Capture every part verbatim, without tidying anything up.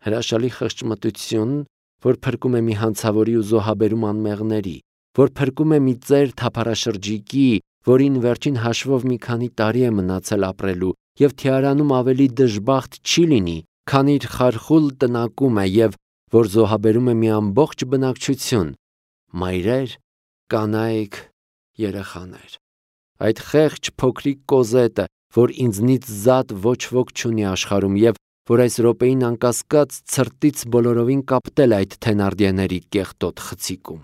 Հրաշալի խղճմտություն, որ փրկում է մի հանցավորի ու զոհաբերում անմեղների, որ փրկում է մի ծեր թափառաշրջիկի, որին վերջին հաշվով մի քանի տարի է մնացել ապրելու, եւ թիարանում ավելի դժբախտ չի լինի, քան իր խարխուլ տնակում է, եւ որ զոհաբերում է մի ամբողջ բնակչություն, մայրեր, կանայք, երեխաներ։ Այդ խեղճ փոքրիկ կոզետը, որ ինձնից զատ ոչ ոք չունի աշխարհում, եւ որ այս րոպեին անկասկած ցրտից բոլորովին կապտել այդ թենարդիեների կեղտոտ խցիկում։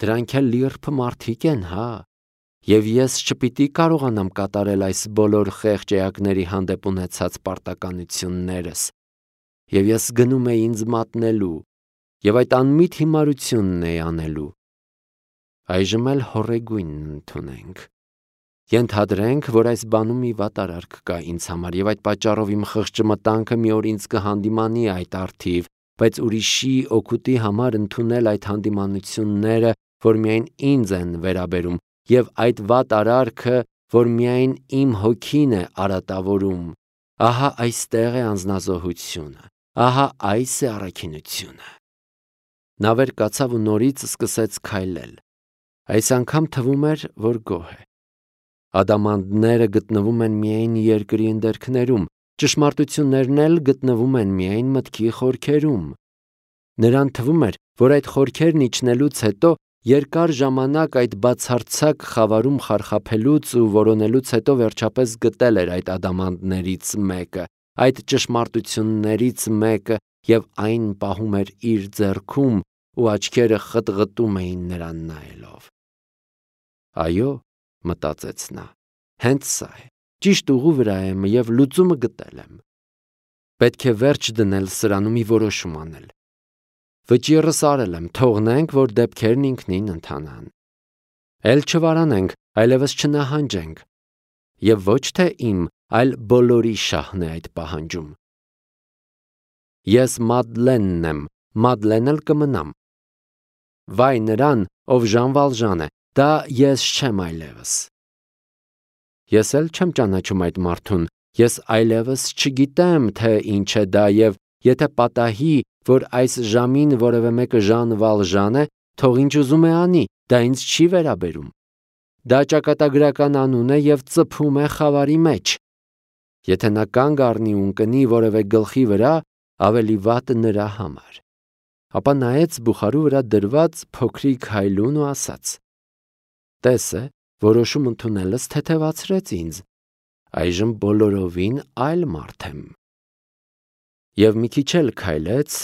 Դրանք էլ լիրբ մարդիկ են, հա, եւ ես չպիտի կարողանամ կատարել այս բոլոր խեղճ էակների հանդեպ ունեցած պարտականություններս, եւ ես գնում էի ինձ մատնելու, եւ այդ անմիտ հիմարությունն էի անելու։ Այժմ էլ հոռեգույնն ընդունենք։ Ենթադրենք, որ այս բանում մի վատարարք կա ինձ համար, եւ այդ պատճառով իմ խղճմտանքը մի օր ինձ կհանդիմանի այդ առթիվ, բայց ուրիշի օգուտի համար ընդունել այդ հանդիմանությունները, որ միայն ինձ են վերաբերում, եւ այդ վատարարքը, որ միայն իմ հոգին է արատավորում, ահա այստեղ է անձնազոհությունը, ահա այս է առաքինությունը։ Նա վեր կացավ ու նորից սկսեց քայլել։ Այս անգամ թվում էր, որ գոհ է։ Ադամանդները գտնվում են միայն երկրի ընդերքներում, ճշմարտություններն էլ գտնվում են միայն մտքի խորքերում։ Նրան թվում էր, որ այդ խորքերն իջնելուց հետո երկար ժամանակ այդ բացարձակ խավարում խարխափելուց ու որոնելուց հետո վերջապես գտել էր այդ ադամանդներից մեկը, այդ ճշմարտություններից մեկը, եւ այն պահում էր իր ձեռքում ու աչքերը խտղտում էին նրան նայելով։ Այո, մտածեց նա, հենց սա է, ճիշտ ուղու վրա եմ եւ լուծումը գտել եմ։ Պետք է վերջ դնել սրանում մի որոշում անել։ Վճիռս արել եմ, թողնենք, որ դեպքերն ինքնին ընթանան։ Էլ չվարանենք, այլևս չնահանջենք։ Եվ ոչ թե իմ, այլ բոլորի շահն է այդ պահանջում։ Ես Մադլենն եմ, Մադլեն էլ կմնամ։ Վայ նրան, ով Ժան Վալժան է, դա ես չեմ այլևս։ Ես էլ չեմ ճանաչում այդ մարդուն, ես այլևս չգիտեմ, թե ինչ է դա, եւ եթե պատահի, որ այս ժամին որևէ մեկը Ժան Վալժան է, թող ինչ ուզում է անի, դա ինձ չի վերաբերում։ Դա ճակատագրական անուն է եւ ծփում է խավարի մեջ։ Եթե նա կանգ առնի ու ընկնի որևէ գլխի վրա, ավելի վատ նրա համար։ Ապա նայեց բուխարու վրա դրված փոքրիկ հայլուն ու ասաց. Տես է, որոշում ընդունելս թեթևացրեց ինձ, այժմ բոլորովին այլ մարդ եմ։ Եվ մի քիչ էլ քայլեց,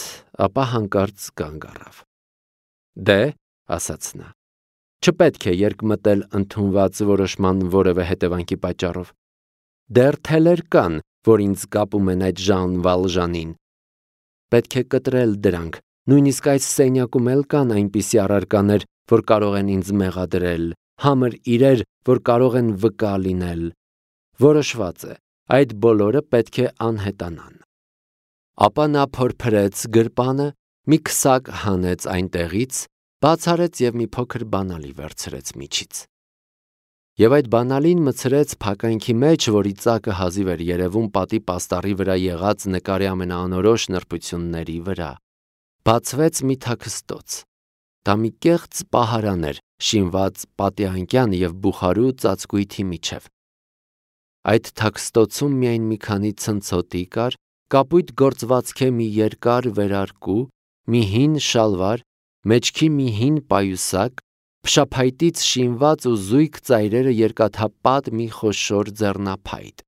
ապա հանկարծ կանգ առավ։ Դե, ասաց նա, չպետք է երկմտել ընդունված որոշման որևէ հետևանքի պատճառով։ Դեռ թելեր կան, որ ինձ կապում են այդ Ժան Վալժանին։ Պետք է կտրել դրանք, նույնիսկ այս սենյակում էլ կան այնպիսի առարկաներ, որ կարող են ինձ մեղադրել, համր իրեր, որ կարող են վկա լինել։ Որոշված է, այդ բոլորը պետք է անհետանան։ Ապա նա փորփրեց գրպանը, մի քսակ հանեց այնտեղից, բաց արեց եւ մի փոքր բանալի վերցրեց միջից։ Եվ այդ բանալին մցրեց փականքի մեջ, որի ծակը հազիվ էր երևում պատի պաստառի վրա եղած նկարի ամենաանորոշ նրբությունների վրա։ Բացվեց մի թաքստոց։ Դա մի կեղծ պահարան էր, շինված պատի անկյան եւ բուխարու ծածկույթի միջև։ Այդ թաքստոցում միայն մի քանի ցնցոտի կար, կապույտ գործվածքի մի երկար վերարկու, մի հին շալվար, մեջքի մի հին պայուսակ, փշափայտից շինված ու զույգ ծայրերը երկաթապատ մի խոշոր ձեռնափայտ։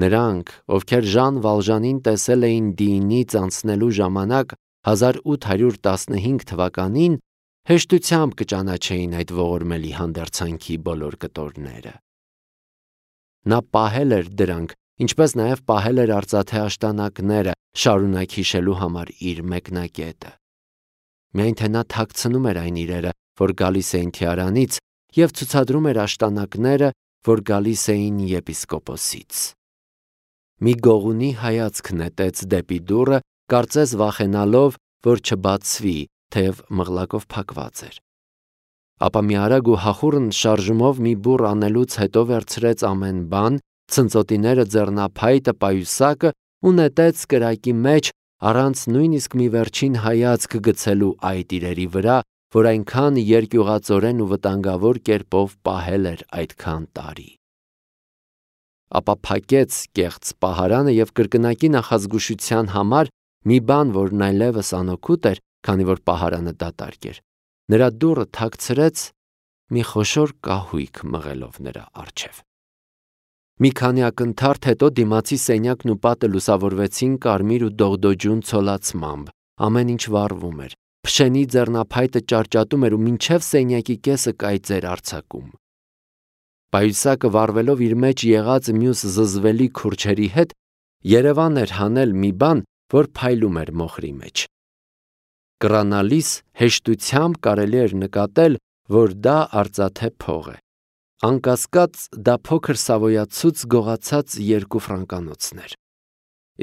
Նրանք, ովքեր Ժան Վալժանին տեսել էին Դիինից անցնելու ժամանակ հազար ութ հարյուր տասնհինգ թվականին, հեշտությամբ կճանաչեին այդ ողորմելի հանդերձանքի բոլոր կտորները։ Նա պահել էր դրանք, ինչպես նաև պահել էր արծաթե աշտանակները, շարունակ հիշելու համար իր մեկնակետը։ Միայն թե նա թաքցնում էր այն իրերը, որ գալիս էին թիարանից, եւ ցուցադրում էր աշտանակները, որ գալիս էին եպիսկոպոսից։ Մի գողունի հայացք նետեց դեպի դուռը, կարծես վախենալով, որ չբացվի, թեև մղլակով փակված էր։ Ապա մի արագ ու հախուռն շարժումով մի բուռ անելուց հետո վերցրեց ամեն բան, ցնծոտիները, ձեռնափայտը, պայուսակը ու նետեց կրակի մեջ առանց նույնիսկ մի վերջին հայացք գցելու այդ իրերի վրա, որ այնքան երկյուղածորեն ու վտանգավոր կերպով պահել էր այդքան տարի։ Ապա փակեց կեղծ պահարանը և կրկնակի նախազգուշության համար մի բան, որն այլևս անօգուտ էր, քանի որ պահարանը դատարկ էր, նրա դուռը թաքցրեց մի խոշոր կահույք մղելով նրա առջև։ Մի քանի ակնթարթ հետո դիմացի սենյակն ու պատը լուսավորվեցին կարմիր ու դողդոջուն ցոլացմամբ, ամեն ինչ վառվում էր, փշենի ձեռնափայտը ճարճատում էր ու մինչև սենյակի կեսը կայծեր արձակում։ Պայուսակը վառվելով իր մեջ եղած մյուս զզվելի քուրչերի հետ, երևան էր հանել մի բան, որ փայլում էր մոխրի մեջ։ Կռանալիս հեշտությամբ կարելի էր նկատել, որ դա արծաթե փող է։ Անկասկած դա փոքր սավոյացուց գողացած երկու ֆրանկանոցներ։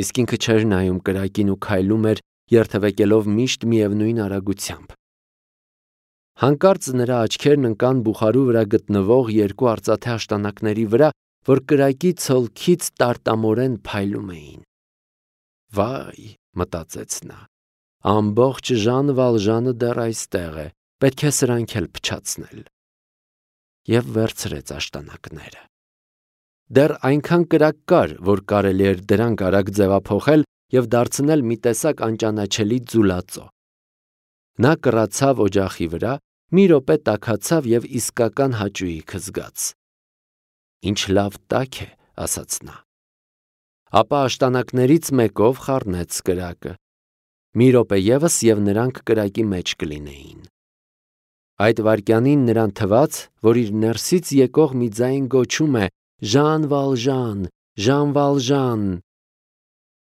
Իսկ ինքը չէր նայում կրակին ու քայլում էր, երթևեկելով միշտ միևնույն արագությամբ։ Հանկարծ նրա աչքերն ընկան բուխարու վրա գտնվող երկու արծաթե աշտանակների վրա, որ կրակի ցոլքից տարտամորեն փայլում էին։ Վայ, մտածեց նա, ամբողջ Ժան Վալժանը դեռ այստեղ է, պետք է սրանք էլ փչացնել։ Եվ վերցրեց աշտանակները։ Դեռ այնքան կրակ կար, որ կարելի էր դրանք արագ ձևափոխել և դարձնել մի տեսակ անճանաչելի ձուլածո։ Նա կռացավ օջախի վրա, մի րոպե տաքացավ և իսկական հաճույք զգաց։ Ինչ լավ տաք է, ասաց նա։ Ապա աշտանակներից մեկով խառնեց կրակը։ Մի րոպե ևս և նրանք կրակի մեջ կլինեին։ Այդ վայրկյանին նրան թվաց, որ իր ներսից եկող մի ձայն գոչում է. «Ժան Վալժան, Ժան Վալժան»։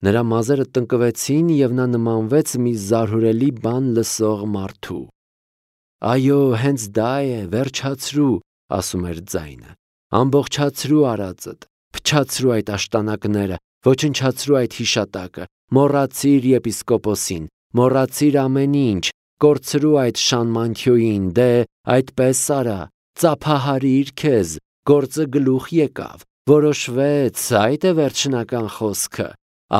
Նրա մազերը տնկվեցին և նա նմանվեց մի զարհուրելի բան լսող մարդու։ Այո, հենց դա է, վերջացրու, ասում էր ձայնը, ամբողջացրու արածդ, փչացրու այդ աշտանակները, ոչնչացրու այդ հիշատակը, մոռացիր եպիսկոպոսին, մոռացիր ամեն ինչ, կորցրու այդ շանմանթյոյին, դե այդպես արա, ծափահարիր քեզ, գործը գլուխ եկավ, որոշվեց, այդ է վերջնական խոսքը,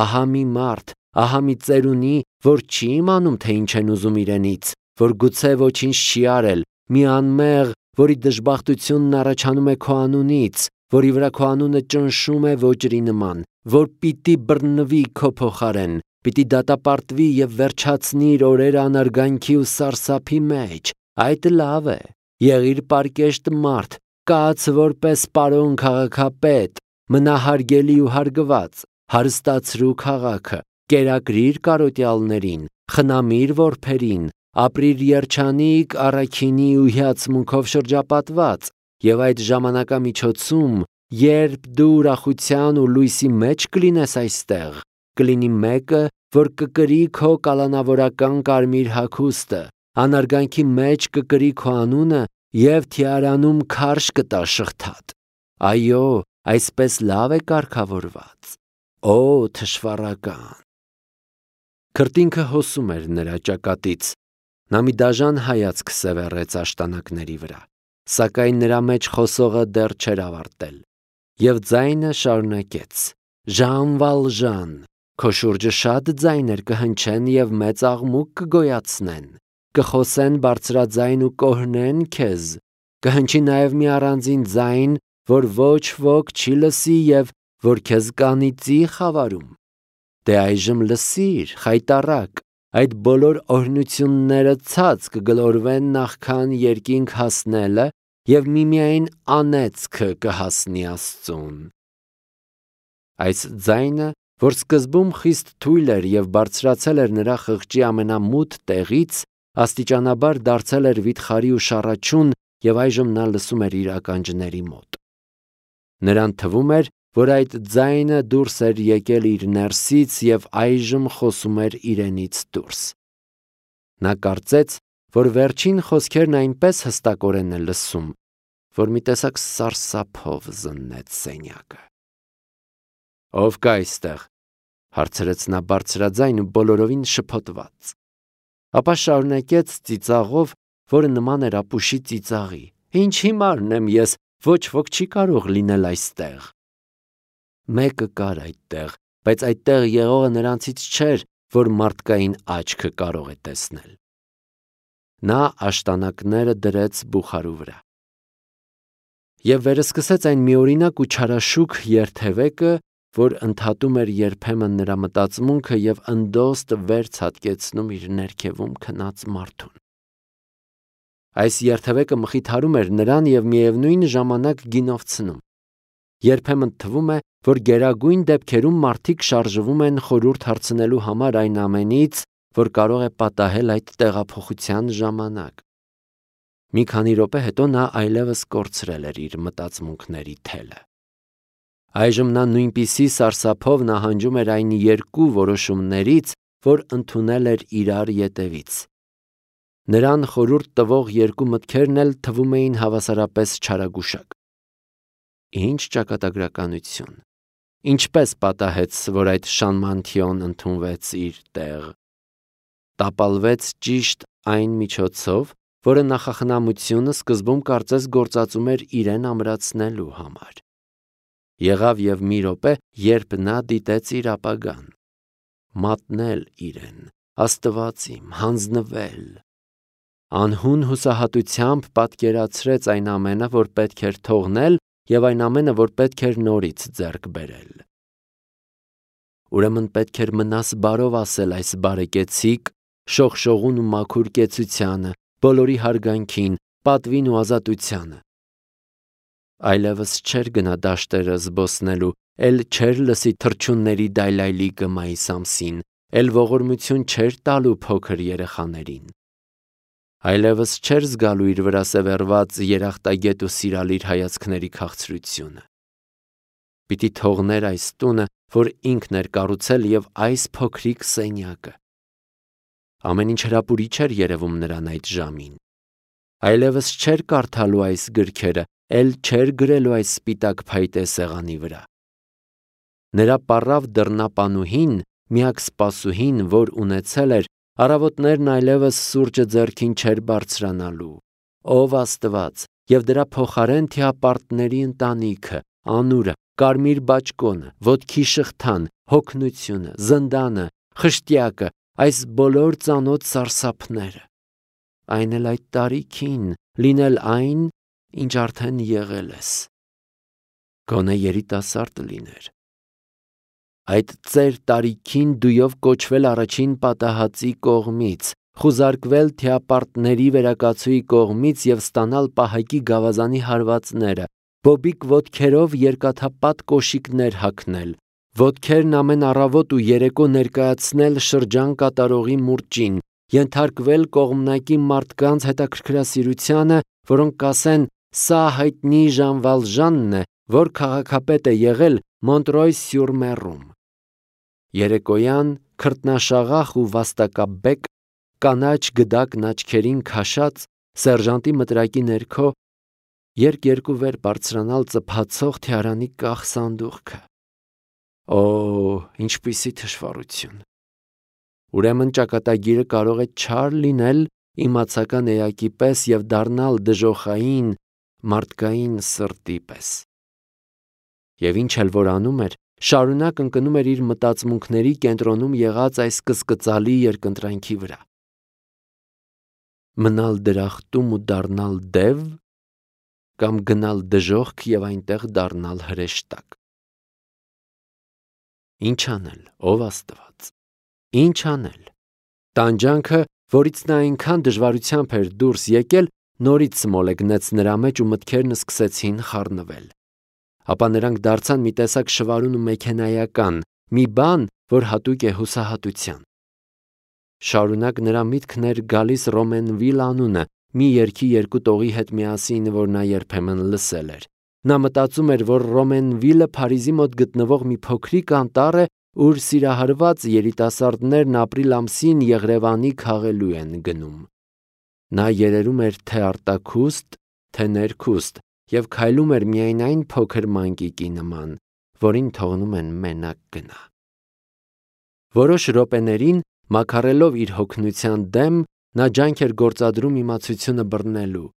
ահա մի մարդ, ահա մի ծերունի, որ չի իմանում, թե ինչ են ուզում իրենից, որ գուցե ոչինչ չի արել, մի անմեղ, որի դժբախտությունն առաջանում է քո անունից, որի վրա քո անունը ճնշում է ոճրի նման, որ պիտի բռնվի քո փոխարեն, պիտի դատապարտվի և վերջացնի իր օրերը անարգանքի ու սարսափի մեջ, այդ լավ է, եղիր պարկեշտ մարդ, կաց որպես պարոն քաղաքապետ, մնա հարգելի ու հարգված, հարստացրու քաղաքը, կերակրիր կարոտյալներին, խնամիր որբերին, ապրիր երջանիկ առաքինի ու հիացմունքով շրջապատված, և այդ ժամանակամիջոցում, երբ դու ուրախության ու լույսի մեջ կլինես այստեղ, կլինի մեկը, որ կկրի քո կալանավորական կարմիր հագուստը, անարգանքի մեջ կկրի քո անունը և թիարանում քարշ կտա շղթատ։ Այո, այսպես լավ է կարգավորված։ Օ, թշվառական։ Քրտինքը հոսում էր նրա ճակատից։ Նա մի դաժան հայացք սևեռեց աշտանակների վրա, սակայն նրա մեջ խոսողը դեռ չէր ավարտել։ Եվ ձայնը շարունակեց. Ժան Վալժան, քո շուրջը շատ ձայներ կհնչեն և մեծ աղմուկ կգոյացնեն, կխոսեն բարձրաձայն ու կօրհնեն քեզ, կհնչի նաև մի առանձին ձայն, որ ոչ ոք չի լսի և որ քեզ կանիծի խավարում։ Դե այժմ լսիր, խայտառակ, այդ բոլոր օրհնությունները ցած կգլորվեն նախքան երկինք հասնելը և միմիայն անեծքը կհասնի Աստծուն։ Այս ձայնը, որ սկզբում խիստ թույլ էր և բարձրացել էր նրա խղճի ամենամութ տեղից, աստիճանաբար դարձել էր վիթխարի ու շառաչուն և այժմ նա լսում էր իր ականջների մոտ։ Նրան թվում էր, որ այդ ձայնը դուրս էր եկել իր ներսից և այժմ խոսում էր իրենից դուրս։ Նա կարծեց, որ վերջին խոսքերն այնպես հստակորեն է լսում, որ մի տեսակ սարսափով զննեց սենյակը։ Ո՞վ կա այստեղ, հարցրեց նա բարձրաձայն ու բոլորովին շփոթված։ Ապա շարունակեց ծիծաղով, որը նման էր ապուշի ծիծաղի. Ինչ հիմարն եմ ես, ոչ ոք չի կարող լինել այստեղ։ Մեկը կար այդտեղ, բայց այդտեղ եղողը նրանցից չէր, որ մարդկային աչքը կարող է տեսնել։ Նա աշտանակները դրեց բուխարու վրա։ Եվ վերսկսեց այն միօրինակ ու չարաշուք երթևեկը, որ ընդհատում էր երբեմն նրա մտածմունքը և ընդոստ վեր ցատկեցնում իր ներքևում քնած մարդուն։ Այս երթևեկը մխիթարում էր նրան և միևնույն ժամանակ գինովցնում։ Երբեմն թվում է, որ գերագույն դեպքերում մարդիկ շարժվում են խորհուրդ հարցնելու համար այն ամենից, որ կարող է պատահել այդ տեղափոխության ժամանակ։ Մի քանի րոպե հետո նա այլևս կորցրել էր իր մտածմունքների թելը։ Այժմ նա նույնպիսի սարսափով նահանջում էր այն երկու որոշումներից, որ ընդունել էր իրար ետևից։ Նրան խորհուրդ տվող երկու մտքերն էլ թվում էին հավասարապես չարագուշակ։ Ինչ ճակատագրականություն։ Ինչպես պատահեց, որ այդ Շանմանթիոն ընդունվեց իր տեղ։ Տապալվեց ճիշտ այն միջոցով, որը նախախնամությունը սկզբում կարծես գործածում էր իրեն ամրացնելու համար։ Եղավ և մի րոպե, երբ նա դիտեց իր ապագան։ Մատնել իրեն, Աստված իմ, հանձնվել։ Անհուն հուսահատությամբ պատկերացրեց այն ամենը, որ պետք էր թողնել, և այն ամենը, որ պետք էր նորից ձեռք բերել։ Ուրեմն պետք էր մնաս բարով ասել այս բարեկեցիկ, շողշողուն ու մաքուր կեցությանը, բոլորի հարգանքին, պատվին ու ազատությանը։ Այլևս չէր գնա դաշտերը զբոսնելու, էլ չէր լսի թռչունների դայլայլիկը մայիս ամսին, էլ ողորմություն չէր տալու փոքր երեխաներին։ Այլևս չէր զգալու իր վրա սևեռված երախտագետ ու սիրալիր հայացքների քաղցրությունը։ Պիտի թողներ այս տունը, որ ինքն էր կառուցել, և այս փոքրիկ սենյակը։ Ամեն ինչ հրապուրիչ էր երևում նրան այդ ժամին։ Այլևս չէր կարդալու այս գրքերը, էլ չէր գրելու այս սպիտակ փայտե սեղանի վրա։ Նրա պառավ դռնապանուհին, միակ սպասուհին, որ ունեցել էր, առավոտներն այլևս սուրճը ձեռքին չէր բարձրանալու։ Ով Աստված, և դրա փոխարեն թիապարտների ընտանիքը, անուրը, կարմիր բաճկոնը, ոտքի շղթան, հոգնությունը, զնդանը, խշտյակը, այս բոլոր ծանոթ սարսափները։ Այն էլ այդ տարիքին, լինել այն, ինչ արդեն եղել ես։ Գոնե երիտասարդ լիներ։ Այդ ծեր տարիքին դույով կոչվել առաջին պատահածի կողմից, խուզարկվել թիապարտների վերակացուի կողմից և ստանալ պահակի գավազանի հարվածները, բոբիկ ոտքերով երկաթապատ կոշիկներ հագնել, ոտքերն ամեն առավոտ ու երեկո ներկայացնել շրջան կատարողի մուրճին, ենթարկվել կողմնակի մարդկանց հետաքրքրասիրությանը, որոնք կասեն. «Սա հայտնի Ժան Վալժանն է, որ քաղաքապետ է եղել Մոնտրոյ-սյուր-Մեռում»։ Երեկոյան քրտնաշաղախ ու վաստակաբեկ, կանաչ գդակն աչքերին քաշած, սերժանտի մտրակի ներքո երկ-երկու վեր բարձրանալ ծփացող թիարանի կախ սանդուղքը։ Օ, ինչպիսի թշվառություն։ Ուրեմն ճակատագիրը կարող է չար լինել իմացական էակի պես և դառնալ դժոխային մարդկային սրտի պես։ Եվ ինչ էլ որ անում էր, շարունակ ընկնում էր իր մտածմունքների կենտրոնում եղած այս կսկծալի երկընտրանքի վրա։ Մնալ դրախտում ու դառնալ դև, կամ գնալ դժոխք և այնտեղ դառնալ հրեշտակ։ Ինչ անել, ով Աստված, ինչ անել։ Տանջանքը, որից նա այնքան դժվարությամբ էր դուրս եկել, նորից սմոլեգնեց նրա մեջ ու մտքերն սկսեցին խառնվել։ Ապա նրանք դարձան մի տեսակ շվարուն ու մեքենայական, մի բան, որ հատուկ է հուսահատության։ Շարունակ նրա միտքն էր գալիս Ռոմենվիլ անունը, մի երգի երկու տողի հետ միասին, որ նա երբեմն լսել էր։ Նա մտածում էր, որ Ռոմենվիլը Փարիզի մոտ գտնվող մի փոքրիկ անտառ է, ուր սիրահարված երիտասարդներն ապրիլ ամսին Եղրևանի քաղելու են գնում։ Նա երերում էր թե արտաքուստ, թե ներքուստ և քայլում էր միայն այն փոքր մանկիկի նման, որին թողնում են մենակ գնա։ Որոշ րոպեներին, մաքարելով իր հոգնության դեմ, նա ջանք էր գործադրում իմացությունը բռնելու։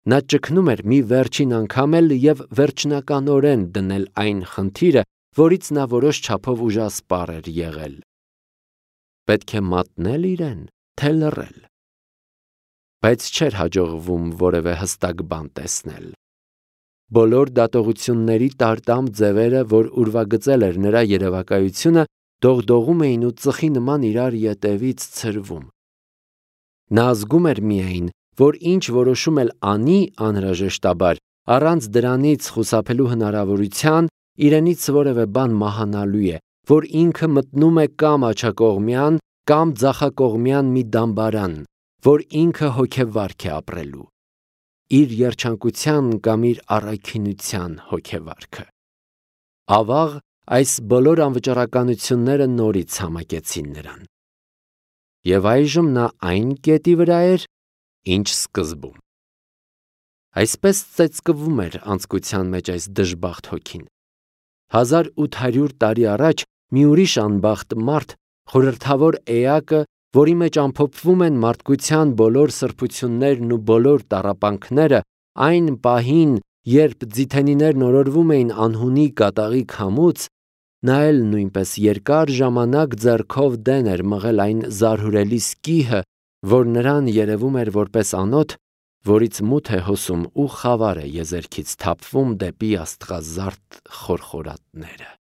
Նա ճգնում էր մի վերջին անգամ էլ և վերջնականորեն դնել այն խնդիրը, որից նա որոշ չափով ուժասպառ էր եղել։ Պետք է մատնել իրեն, թե լռել։ Բայց չէր հաջողվում որևէ հստակ բան տեսնել։ Բոլոր դատողությունների տարտամ ձևերը, որ ուրվագծել էր նրա երևակայությունը, դողդողում էին ու ծխի նման իրար ետևից ցրվում։ Նա զգում էր միայն, որ ինչ որոշում էլ անի անհրաժեշտաբար, առանց դրանից խուսափելու հնարավորության, իրենից որևէ բան մահանալու է, որ ինքը մտնում է կամ աջակողմյան, կամ ձախակողմյան մի դամբարան, որ ինքը հոգեվարք է ապրելու, իր երջանկության կամ իր առաքինության հոգեվարքը։ Ավաղ այս բոլոր անվճռականությունները նորից համակեցին նրան։ Եվ այժմ նա այն կետի վրա էր, ինչ սկզբում։ Այսպես ծեծկվում էր անձկության մեջ այս դժբախտ հոգին։ Հազար ութ հարյուր տարի առաջ մի ուրիշ անբախտ մարդ, խորհրդավոր էակը, որի մեջ ամփոփվում են մարդկության բոլոր սրբություններն ու բոլոր տառապանքները, այն պահին, երբ ձիթենիներն օրորվում էին անհունի կատաղի քամուց, նա էլ նույնպես երկար ժամանակ ձեռքով դեն էր մղել այն զարհուրելի սկիհը, որ նրան երևում էր որպես անոթ, որից մութ է հոսում ու խավար է եզերքից թափվում դեպի աստղազարդ խորխորատները։